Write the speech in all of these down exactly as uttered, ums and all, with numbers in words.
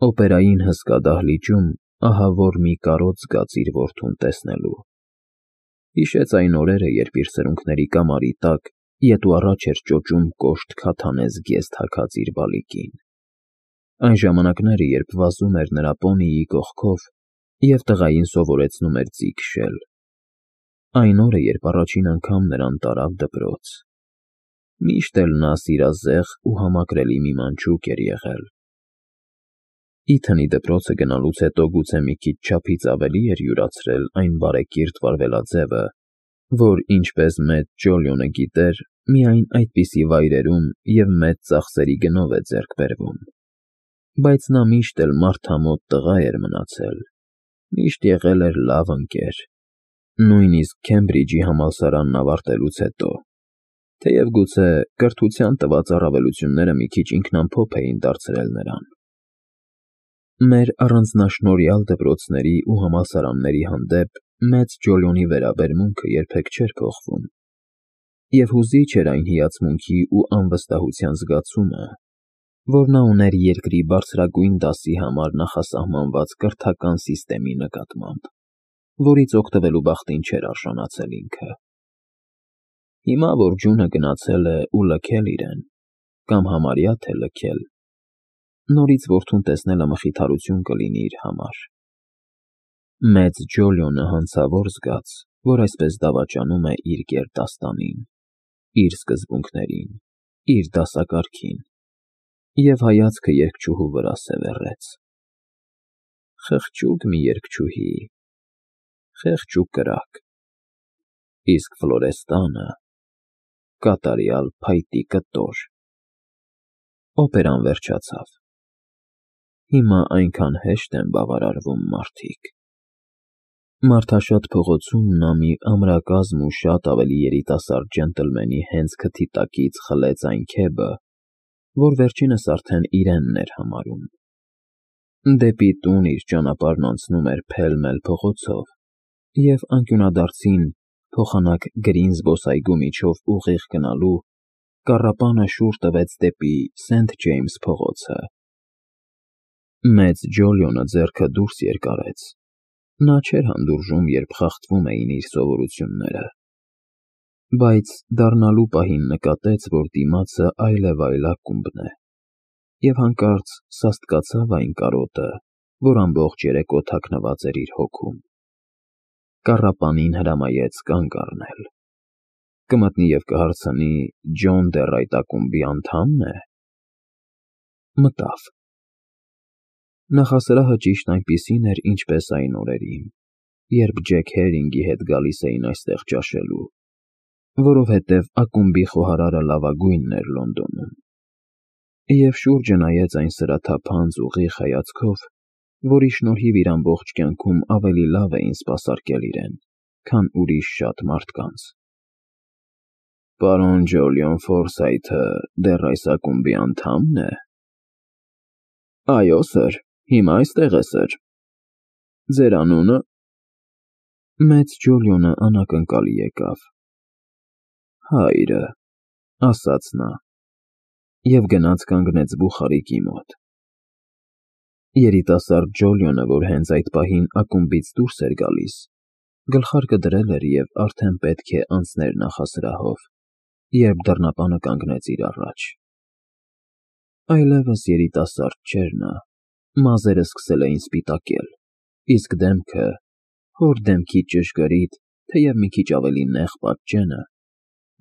Օպերային հսկա դահլիճում ահավոր մի կարոտ զգաց իր որդուն տեսնելու։ Հիշեց այն օրերը, երբ իր սրունքների կամարի տակ ետ ու առաջ էր ճոճում կոշտ քաթանե զգեստ թաքած իր բալիկին։ Այն ժամանակները, երբ վազում էր նրա պոնիի կողքով և տղային սովորեցնում էր ձի քշել։ Այն օրը, երբ առաջին անգամ նրան տարավ դպրոց։ Միշտ էլ նա սիրազեղ ու համակրելի մի մանչուկ էր եղել։ Իթանի դպրոցը գնալուց հետո գուցե մի քիչ չափից ավելի էր յուրացրել այն բարեկիրթ վարվելաձևը, որ, ինչպես մեծ Ջոլիոնը գիտեր, միայն այդպիսի վայրերում և մեծ ծախսերի գնով է ձեռք բերվում, բայց նա միշտ էլ մարդամոտ տղա էր մնացել, միշտ եղել էր լավ ընկեր, նույնիսկ Քեմբրիջի համալսարանն ավարտելուց հետո, թեև գուցե կրթության տված առավելությունները մի քիչ ինքնամփոփ էին դարձրել նրան։ Մեր առանձնաշնորհյալ դպրոցների ու համալսարանների հանդեպ մեծ Ջոլիոնի վերաբերմունքը երբեք չէր փոխվում, և հուզիչ էր այն հիացմունքի ու անվստահության զգացումը, որ նա ուներ երկրի բարձրագույն դասի համար նախասահմանված կրթական սիստեմի նկատմամբ, որից օգտվելու բախտին չէր արժանացել ինքը։ Հիմա, որ ջունը գնացել է ու լքել իրեն, կամ համարյա թե լքել, նորից որդուն տեսնելը մխիթարություն կլինի իր համար։ Մեծ Ջոլիոնը հանցավոր զգաց, որ այսպես դավաճանում է իր գերդաստանին, իր սկզբունքներին, իր դասակարգին, և հայացքը երգչուհու վրա սևեռեց։ Խղճուկ մի երգչուհի, խեղճ ու կրակ, իսկ Ֆլորեստանը կատարյալ փայտի կտոր։ Օպերան վերջացավ։ Հիմա այնքան հեշտ են բավարարվում մարդիկ։ Մարդաշատ փողոցում նա մի ամրակազմ ու շատ ավելի երիտասարդ ջենտլմենի հենց քթի տակից խլեց այն քեբը, որ վերջինս արդեն իրենն էր համարում։ Դեպի տուն իր ճանապարհն անցնում էր փել֊մել փողոցով, և անկյունադարձին, փոխանակ գրին զբոսայգու միջով ուղիղ գնալու, կառապանը շուռ տվեց դեպի Սենթ Ջեյմս փողոցը։ Մեծ Ջոլիոնը ձեռքը դուրս երկարեց։ Նա չէր հանդուրժում, երբ խախտվում էին իր սովորությունները, բայց դառնալու պահին նկատեց, որ դիմացը այլևայլ ակումբն է, և հանկարծ սաստկացավ այն կարոտը, որ ամբողջ երեկո թաքնված էր իր հոգում։ Կառապանին հրամայեց կանգ առնել։ Կմտնի և կհարցնի՝ Ջոն դեռ այդ ակումբի անդա՞մն է։ Մտավ։ Նախասրահը ճիշտ այնպիսին էր, ինչպես այն օրերին, երբ Ջեք Հերինգի հետ գալիս էին այստեղ ճաշելու, որովհետև ակումբի խոհարարը լավագույնն էր Լոնդոնում, և շուրջը նայեց այն սրաթափանց ուղիղ հայացքով, որի շնորհիվ իր ամբողջ կյանքում ավելի լավ էին սպասարկել իրեն, քան ուրիշ շատ մարդկանց։ Պարոն Ջոլիոն Ֆորսայթը դեռ այս ակումբի անդա՞մն է։ Այո, սըր, հիմա այստեղ է, սըր։ Ձեր անունը։ Մեծ Ջոլիոնը անակնկալի եկավ։ Հայրը, ասաց նա, և գնաց կանգնեց բուխարիկի մոտ։ Երիտասարդ Ջոլիոնը, որ հենց այդ պահին ակումբից դուրս էր գալիս, գլխարկը դրել էր և արդեն պետք է անցներ նախասրահով, երբ դռնապանը կանգնեց իր առաջ։ Այլևս երիտասարդ չէր նա, մազերը սկսել էին սպիտակել, իսկ դեմքը, հոր դեմքի ճշգրիտ, թեև մի քիչ ավելի նեղ պատճենը,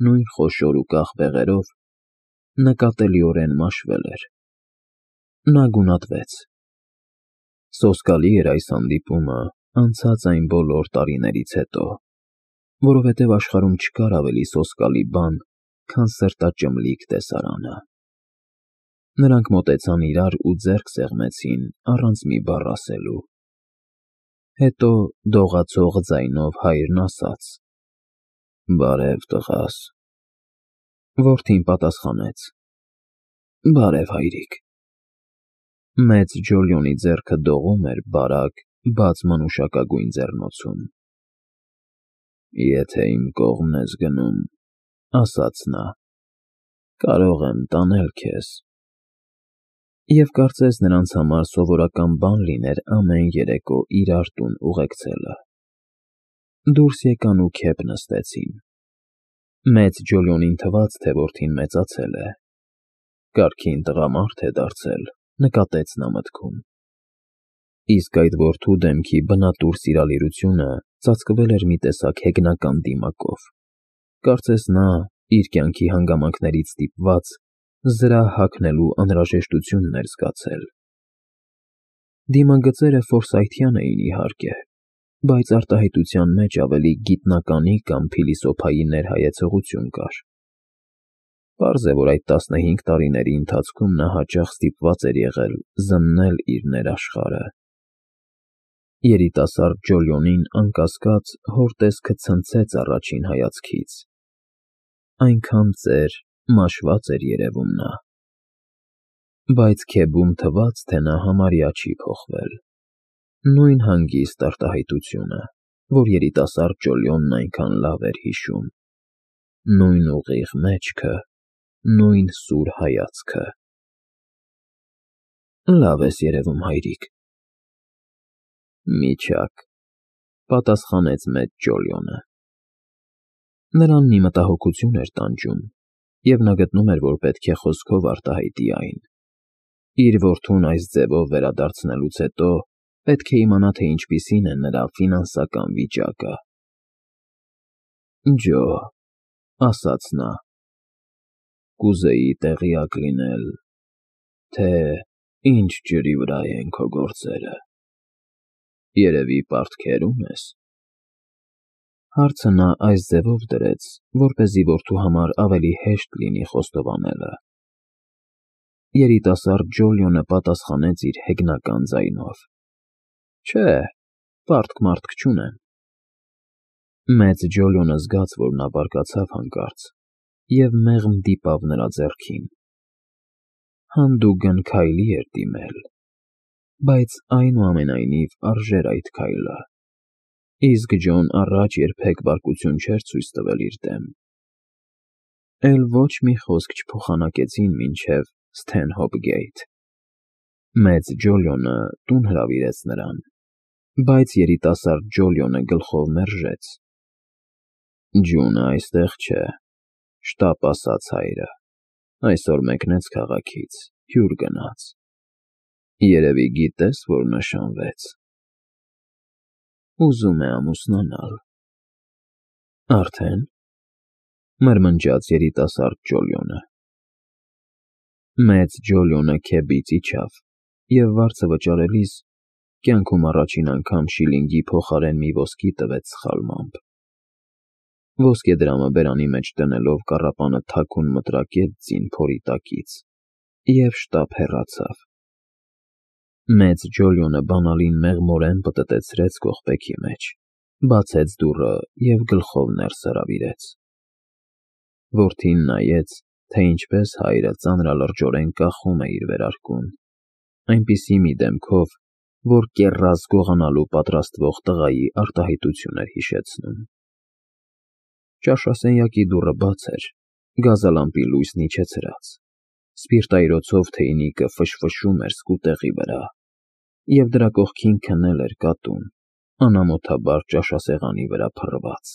նույն խոշոր ու կախ բեղերով, նկատելիորեն մաշվել էր։ Նա գունատվեց։ Սոսկալի էր այս հանդիպումը անցած այն բոլոր տարիներից հետո, որովհետև աշխարհում չկար ավելի սոսկալի բան, քան սրտաճմլիկ տեսարանը։ Նրանք մոտեցան իրար ու ձեռք սեղմեցին առանց մի բառ ասելու։ Հետո դողացող ձայնով հայրն ասաց. Բարև, տղաս։ Որդին պատասխանեց. Բարև, հայրիկ։ Մեծ Ջոլիոնի ձեռքը դողում էր բարակ, բաց մանուշակագույն ձեռնոցում։ Եթե իմ կողմն ես գնում, ասաց նա, կարող եմ տանել քեզ։ Եվ կարծես նրանց համար սովորական բան լիներ ամեն երեկո իրար տուն ուղեկցելը։ Դուրս եկան ու քեփ նստեցին։ Մեծ Ջոլիոնին թվաց, թե որդին մեծացել է։ Կարգին տղամարդ է դարձել, նկատեց նա մտքում։ Իսկ այդ որդու դեմքի բնատուր սիրալիրությունը ծածկվել էր մի տեսակ հեգնական դիմակով։ Կարծես նա, իր կյանքի հանգամանքներից ստիպված, զրահ հագնելու անհրաժեշտությունն էր զգացել։ Դիմագծերը ֆորսայթյան էին, իհարկե, բայց արտահայտության մեջ ավելի գիտնականի կամ փիլիսոփայի ներհայեցողություն կար։ Պարզ է, որ այդ տասնհինգ տարիների ընթացքում նա հաճախ ստիպված էր եղել զննել իր ներաշխարհը։ Երիտասարդ Ջոլիոնին, անկասկած, հոր տեսքը ցնցեց առաջին հայացքից։ Այնքան ծեր, մաշված էր երևում նա։ Բայց Քեբում թվաց, թե նա համարյա չի փոխվել։ Նույն հանգիստ արտահայտությունը, որ երիտասարդ Ջոլիոնն այնքան լավ էր հիշում։ Նույն ուղիղ մեջքը, նույն սուր հայացքը։ Լավ ես երևում, հայրիկ։ Միչակ, պատասխանեց մեծ Ջոլիոնը։ Նրան մի մտահոգություն էր տանջում, և նա գտնում էր, որ պետք է խոսքով արտահայտի այն։ Իր որդուն այս ձևով վերադարձնելուց հետո պետք է իմանա, թե ինչպիսին է նրա ֆինանսական վիճակը։ Ջո, ասաց նա, կուզեի տեղյակ լինել, թե ինչ ջրի վրա են քո գործերը։ Երևի պարտքերում ես։ Հարցը նա այս ձևով դրեց, որպեսզի որդու համար ավելի հեշտ լինի խոստովանելը։ Երիտասարդ Ջոլիոնը պատասխանեց իր հեգնական ձայնով. Չէ, պարտք-մարտք չունեմ։ Մեծ Ջոլիոնը զգաց, որ նա բարկացավ հանկարծ, և մեղմ դիպավ նրա ձեռքին։ Հանդուգն քայլի էր դիմել, բայց այնուամենայնիվ արժեր այդ քայլը, իսկ Ջոն առաջ երբեք բարկություն չէր ցույց տվել իր դեմ։ Էլ ոչ մի խոսք չփոխանակեցին մինչև Սթենհոփ գեյթ։ Մեծ Ջոլիոնը տուն հրավիրեց նրան, բայց երիտասարդ Ջոլիոնը գլխով մերժեց։ Ջունը այստեղ չէ, շտապ ասաց հայրը, այսօր մեկնեց քաղաքից, հյուր գնաց։ Երևի գիտես, որ նշանվեց։ Ուզում է ամուսնանալ։ Արդեն, մրմնջաց երիտասարդ Ջոլիոնը։ Մեծ Ջոլիոնը քեբից իջավ, և վարձը վճարելիս կյանքում առաջին անգամ շիլինգի փոխարեն մի ոսկի տվեց սխալմամբ։ Ոսկեդրամը բերանի մեջ դնելով կառապանը թաքուն մտրակեց ձին փորի տակից և շտապ հեռացավ։ Մեծ Ջոլիոնը բանալին մեղմորեն պտտեցրեց կողպեքի մեջ, բացեց դուռը և գլխով ներս հրավիրեց։ Որդին նայեց, թե ինչպես հայրը ծանրալրջորեն կախում է իր վերարկուն, այնպիսի մի դեմքով, որ կեռաս գողանալու պատրաստվող տղայի արտահայտություն էր հիշեցնում։ Ճաշասենյակի դուռը բաց էր, գազալամպի լույսն իջեցրած, սպիրտայրոցով թեյնիկը ֆշֆշում էր սկուտեղի վրա, և դրա կողքին քնել էր կատուն, անամոթաբար ճաշասեղանի վրա փռված։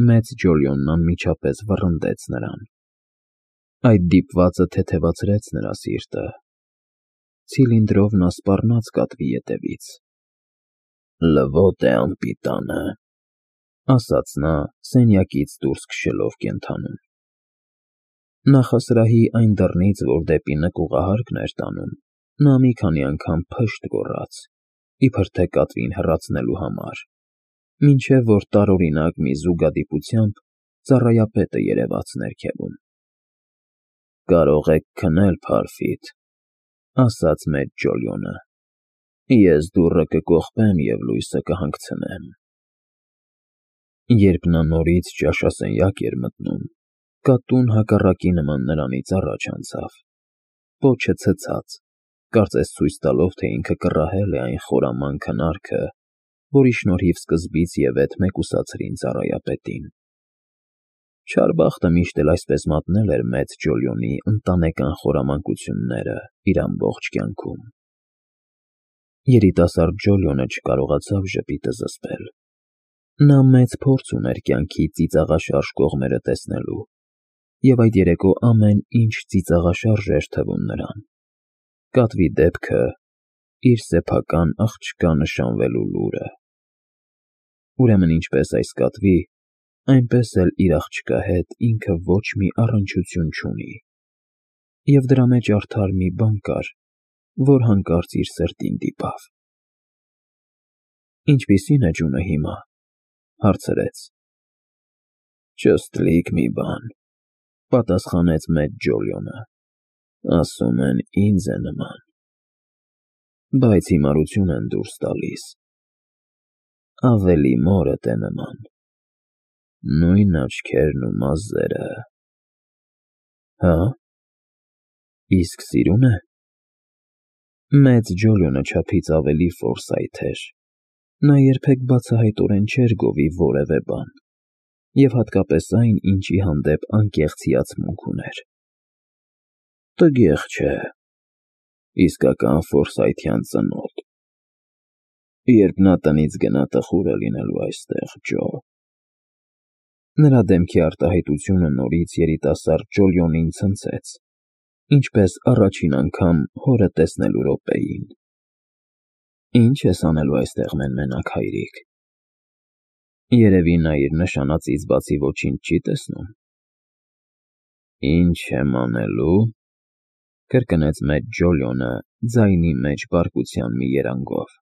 Մեծ Ջոլիոնն անմիջապես վռնդեց նրան։ Այդ դիպվածը թեթևացրեց նրա սիրտը։ Ցիլինդրով նա սպառնաց կատվի ետևից։ Լվոտ է անպիտանը, ասաց նա, սենյակից դուրս քշելով կենդանուն։ Նախասրահի այն դռնից, որ դեպի նկուղահարկն էր տանում, նա մի քանի անգամ փշտ գոռաց, իբր թե կատվին հեռացնելու համար, մինչև որ տարօրինակ մի զուգադիպությամբ ծառայապետը երևաց ներքևում։ Կարող եք քնել, Փարֆիտ, ասաց մեծ Ջոլիոնը, ես դուռը կկողպեմ և լույսը կհանգցնեմ։ Երբ նա նորից ճաշասենյակ էր մտնում, կատուն հակառակի նման նրանից առաջ անցավ, պոչը ցցած, կարծես ցույց տալով, թե ինքը կռահել է այն խորաման քնարքը, որի շնորհիվ սկզբից և ետ մեկուսացրին ծառայապետին։ Չար բախտը միշտ էլ այսպես մատնել էր մեծ Ջոլիոնի ընտանեկան խորամանկությունները իր ամբողջ կյանքում։ Երիտասարդ Ջոլիոնը չկարողացավ ժպիտը զսպել։ Նա մեծ փորձ ուներ կյանքի ծիծաղաշարժ կողմերը տեսնելու, և այդ երեկո ամեն ինչ ծիծաղաշարժ էր թվում նրան։ Կատվի դեպքը, իր սեփական աղջկա նշանվելու լուրը։ Ուրեմն ինչպես այս կատվի, այնպես էլ իր աղջկա հետ ինքը ոչ մի առնչություն չունի, և դրա մեջ արդար մի բան կար, որ հանկարծ իր սրտին դիպավ։ Ինչպիսի՞ն է ջունը հիմա, հարցրեց։ Ճստլիկ մի բան, պատասխանեց մեծ Ջոլիոնը, ասում են ինձ է նման, բայց հիմարություն են դուրս տալիս, ավելի մորդ է նման, նույն աչքերն ու մազերը։ Հա՞, իսկ սիրուն է։ Մեծ Ջոլիոնը չափից ավելի ֆորսայթ էր, նա երբեք բացահայտորեն չէր գովի որևէ բան, և հատկապես այն, ինչի հանդեպ անկեղծ հիացմունք ուներ։ Տգեղ չէ, իսկական ֆորսայթյան ծնոտ։ Երբ նա տնից գնա, տխուր է լինելու այստեղ, Ջո։ Նրա դեմքի արտահայտությունը նորից երիտասարդ Ջոլիոնին ցնցեց, ինչպես առաջին անգամ հորը տեսնելու րոպեին։ Ի՞նչ ես անելու այստեղ մեն֊մենակ, հայրիկ։ Երևի նա իր նշանածից բացի ոչինչ չի տեսնում։ Ինչ եմ անելու, կրկնեց մեծ Ջոլիոնը ձայնի մեջ բարկության մի երանգով։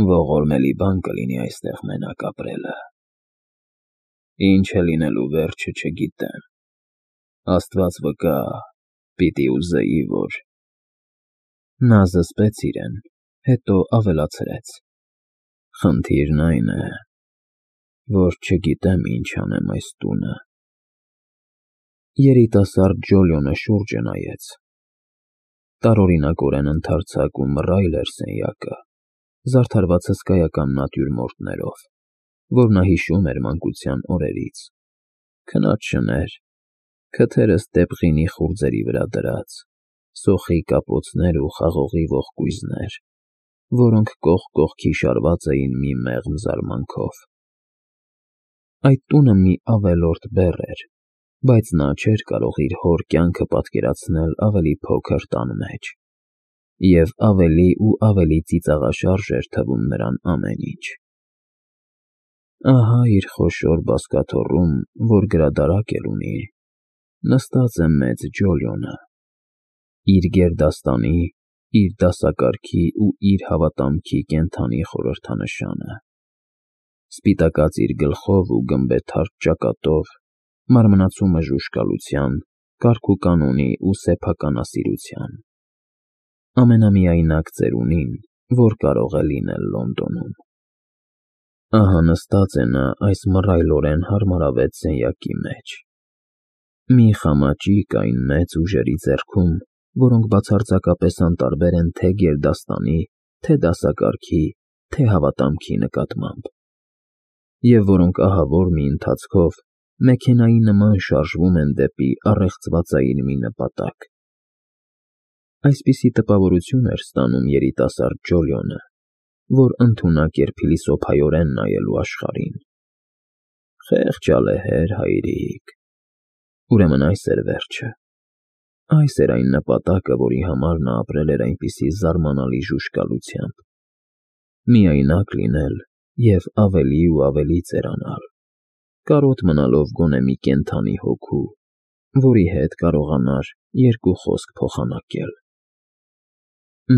Ողորմելի բան կլինի այստեղ մենակ ապրելը։ Ինչ է լինելու վերջը չգիտեմ։ Աստված վկա, պիտի ուզեի, որ… Նա զսպեց իրեն, հետո ավելացրեց. Խնդիրն այն է, որ չգիտեմ ինչ անեմ այս տունը։ Երիտասարդ Ջոլիոնը շուրջը նայեց։ Տարօրինակորեն ընդարձակ ու մռայլ էր սենյակը, զարդարված հսկայական նատյուրմորտներով, որ նա հիշում էր մանկության օրերից, քնած շներ, քթերը ստեպղինի խուրձերի վրա դրած, սոխի կապոցներ ու խաղողի ողկույզներ, որոնք կողք կողքի շարված էին մի մեղմ զարմանքով։ Այդ տունը մի ավելորդ բեռ էր, բայց նա չէր կարող իր հոր կյանքը պատկերացնել ավելի փոքր տան մեջ, և ավելի ու ավելի ծիծաղաշարժ էր թվում նրան ամեն ինչ։ Ահա իր խոշոր բազկաթոռում, որ գրադարակ էլ ունի, նստած է մեծ Ջոլիոնը, իր գերդաստանի, իր դասակարգի ու իր հավատամքի կենդանի խորհրդանշանը, սպիտակած իր գլխով ու գմբեթարթ ճակատով, մարմնացումը ժուժկալության, կարգուկանոնի ու սեփականասիրության, ամենամիայնակ ծերունին, որ կարող է լինել Լոնդոնում։ Ահա նստած է նա այս մռայլորեն հարմարավետ սենյակի մեջ։ Մի խամաճիկ այն մեծ ուժերի ձեռքում, որոնք բացարձակապես անտարբեր են թե գերդաստանի, թե դասակարգի, թե հավատամքի նկատմամբ, և որոնք ահավոր մի ընթացքով մեքենայի նման շարժվում են դեպի առեղծվածային մի նպատակ։ Այսպիսի տպավորություն էր ստանում երիտասարդ Ջոլիոնը, որ ընդունակ էր փիլիսոփայորեն նայելու աշխարհին։ Խեղճ ալեհեր, հայրիկ։ Ուրեմն այս էր վերջը։ Այս էր այն նպատակը, որի համար նա ապրել էր այնպիսի զարմանալի ժուժկալությամբ։ Միայնակ լինել և ավելի ու ավելի ծերանալ, կարոտ մնալով գոնե մի կենդանի հոգու, որի հետ կարողանար երկու խոսք փոխանակել։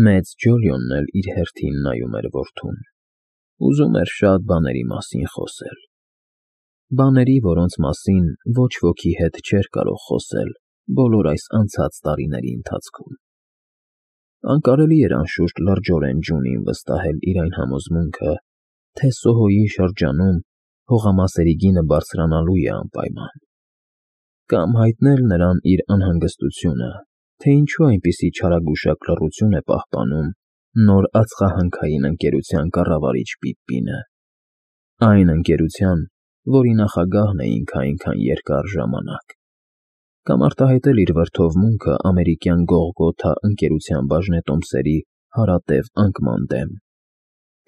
Մեծ Ջոլիոնն էլ իր հերթին նայում էր որդուն, ուզում էր շատ բաների մասին խոսել, բաների, որոնց մասին ոչ ոքի հետ չէր կարող խոսել բոլոր այս անցած տարիների ընթացքում։ Անկարելի էր անշուշտ լրջորեն ջունին վստահել իր այն համոզմունքը, թե Սոհոյի շրջանում հողամասերի գինը բարձրանալու է անպայման, կամ հայտնել նրան իր անհանգստությունը, թե ինչու այնպիսի չարագուշակ լռություն է պահպանում նոր ածխահանքային ընկերության կառավարիչ Պիպպինը, այն ընկերության, որի նախագահն էինք այնքան երկար ժամանակ, կամ արտահայտել իր վրդովմունքը ամերիկյան Գողգոթա ընկերության բաժնետոմսերի հարատև անկման դեմ,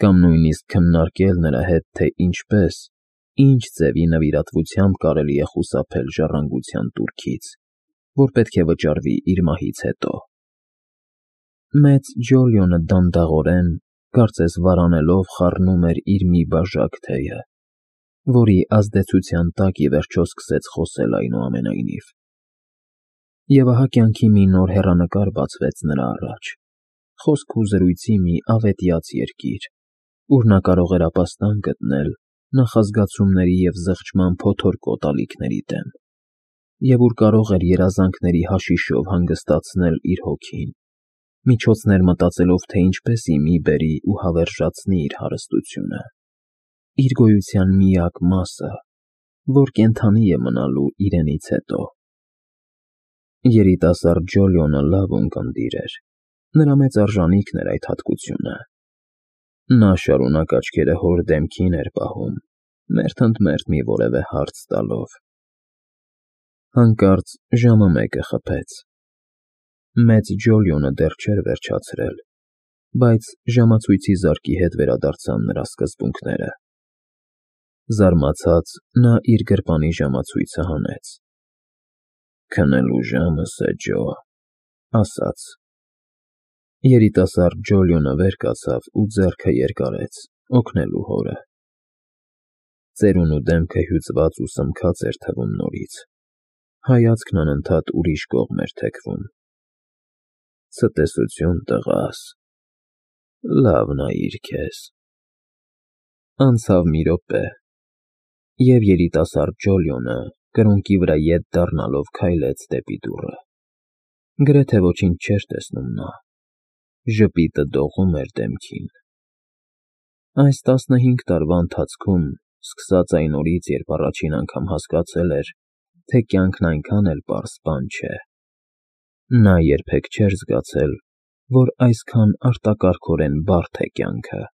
կամ նույնիսկ քննարկել նրա հետ, թե ինչպես, ինչ ձևի նվիրատվությամբ կարելի է խուսափել ժառանգության տուրքից, որ պետք է վճարվի իր մահից հետո։ Մեծ Ջոլիոնը դանդաղորեն, կարծես վարանելով խառնում էր իր մի բաժակ թեյը, որի ազդեցության տակ ի վերջո սկսեց խոսել այնուամենայնիվ։ Եվ ահա կյանքի մի նոր հեռանկար բացվեց նրա առաջ, խոսք ու զրույցի մի ավետյաց երկիր, ուր նա կարող էր ապաստան գտնել նախազգացումների և զղջման փոթորկոտ ալիքների դեմ, և ուր կարող էր երազանքների հաշիշով հանգստացնել իր հոգին, միջոցներ մտածելով, թե ինչպես ի մի բերի ու հավերժացնի իր հարստությունը, իր գոյության միակ մասը, որ կենդանի է մնալու իրենից հետո։ Երիտասարդ Ջոլիոնը լավ ունկնդիր էր, նրա մեծ արժանիքն էր այդ հատկությունը։ Նա շարունակ աչքերը հոր դեմքին էր պահում, մերթ ընդ մերթ մի որևէ հարց տալով։ Հանկարծ ժամը մեկը խփեց։ Մեծ Ջոլիոնը դեռ չէր վերջացրել, բայց ժամացույցի զարկի հետ վերադարձան նրա սկզբունքները։ Զարմացած նա իր գրպանի ժամացույցը հանեց։ «Քնելու ժամս է, Ջո», ասաց։ Երիտասարդ Ջոլիոնը վեր կացավ ու ձեռքը երկարեց, օգնելու հորը։ Ծերունու դեմքը հյուծված ու սմքած էր թվում նորից, հայացքն անընդհատ ուրիշ կողմ էր թեքվում։ «Ցտեսություն, տղաս, լավ նայիր քեզ»։ Անցավ մի րոպե, և երիտասարդ Ջոլիոնը կրունկի վրա ետ դառնալով քայլեց դեպի դուռը։ Գրեթե ոչինչ չէր տեսնում նա, ժպիտը դողում էր դեմքին։ Այս տասնհինգ տարվա ընթացքում, սկսած այն օրից, երբ առաջին անգամ հասկացել էր, թե կյանքն այնքան էլ պարզ բան չէ, նա երբեք չէր զգացել, որ այսքան արտակարգորեն բարդ է կյանքը։